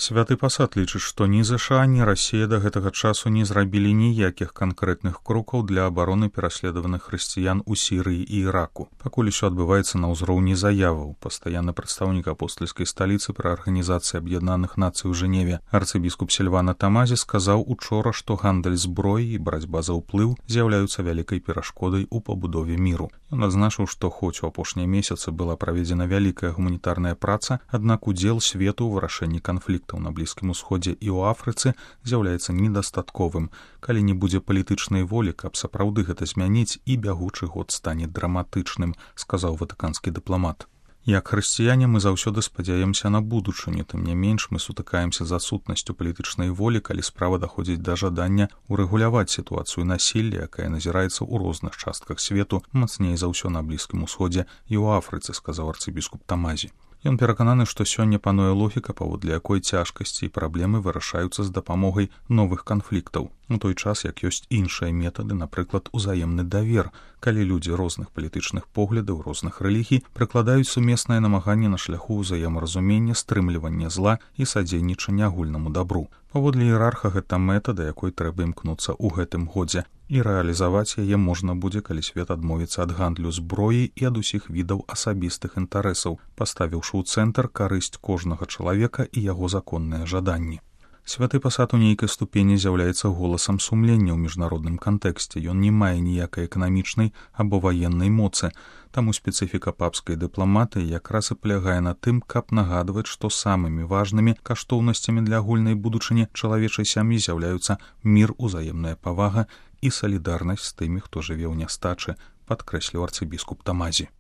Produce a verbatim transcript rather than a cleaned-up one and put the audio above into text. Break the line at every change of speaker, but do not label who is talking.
Святы пасад лічыць, што ні ЗША, ні Расія да гэтага часу не зрабілі ніякіх канкрэтных крокаў для абароны пераследаваных хрысціян у Сірыі і Іраку. Пакуль усё адбываецца на ўзроўні заяваў. Пастаянны прадстаўнік апостальскай сталіцы пры Арганізацыі Аб'яднаных Нацый у Жэневе арцыбіскуп Сільвана Тамазі сказаў учора, што гандаль зброі і барацьба за ўплыў з'яўляюцца вялікай перашкодай у пабудове міру. Ён адзначыў, што хоць у апошнія месяцы была праведзена вялікая гуманітарная праца, аднак удзел свету ў вырашэнні канфлікту на Блізкім Усходзе і ў Афрыцы з'яўляецца недастатковым. Калі не будзе палітычнай волі, каб сапраўды гэта змяніць, і бягучы год стане драматычным, сказаў ватыканскі дыпламат. Як хрысціяне мы заўсёды спадзяемся на будучыню, тым не менш мы сутыкаемся з адсутнасцю палітычнай волі, калі справа даходзіць да жадання урэгуляваць сітуацыю насілля, якая назіраецца ў розных частках свету, мацней за ўсё на Блізкім Усходзе і ў Афрыцы, сказаў арцыбіскуп Тамазі. Ён перакананы, што сёння пануе логіка, паводле якой цяжкасці і праблемы вырашаюцца з дапамогай новых канфліктаў. У той час, як ёсць іншыя метады, напрыклад, узаемны давер, калі людзі розных палітычных поглядаў, розных рэлігій прыкладаюць сумеснае намаганне на шляху ўзаемаразумення, стрымлівання зла і садзейнічання агульнаму дабру. Паводле іерарха гэта мэта, да якой трэба імкнуцца ў гэтым годзе, і рэалізаваць яе можна будзе, калі свет адмовіцца ад гандлю зброі і ад усіх відаў асабістых інтарэсаў, паставіўшы ў цэнтр карысць кожнага чалавека і яго законныя жаданні. Святы пасад у нейкай ступені з'яўляецца голасам сумлення ў міжнародным кантэксце. Ён не мае ніякай эканамічнай або ваеннай моцы, таму спецыфіка папскай дыпламатыі якраз і палягае на тым, каб нагадваць, што самымі важнымі каштоўнасцямі для агульнай будучыні чалавечай сям'і з'яўляюцца мір, узаемная павага і салідарнасць з тымі, хто жыве ў нястачы, падкрэсліў арцыбіскуп Тамазі.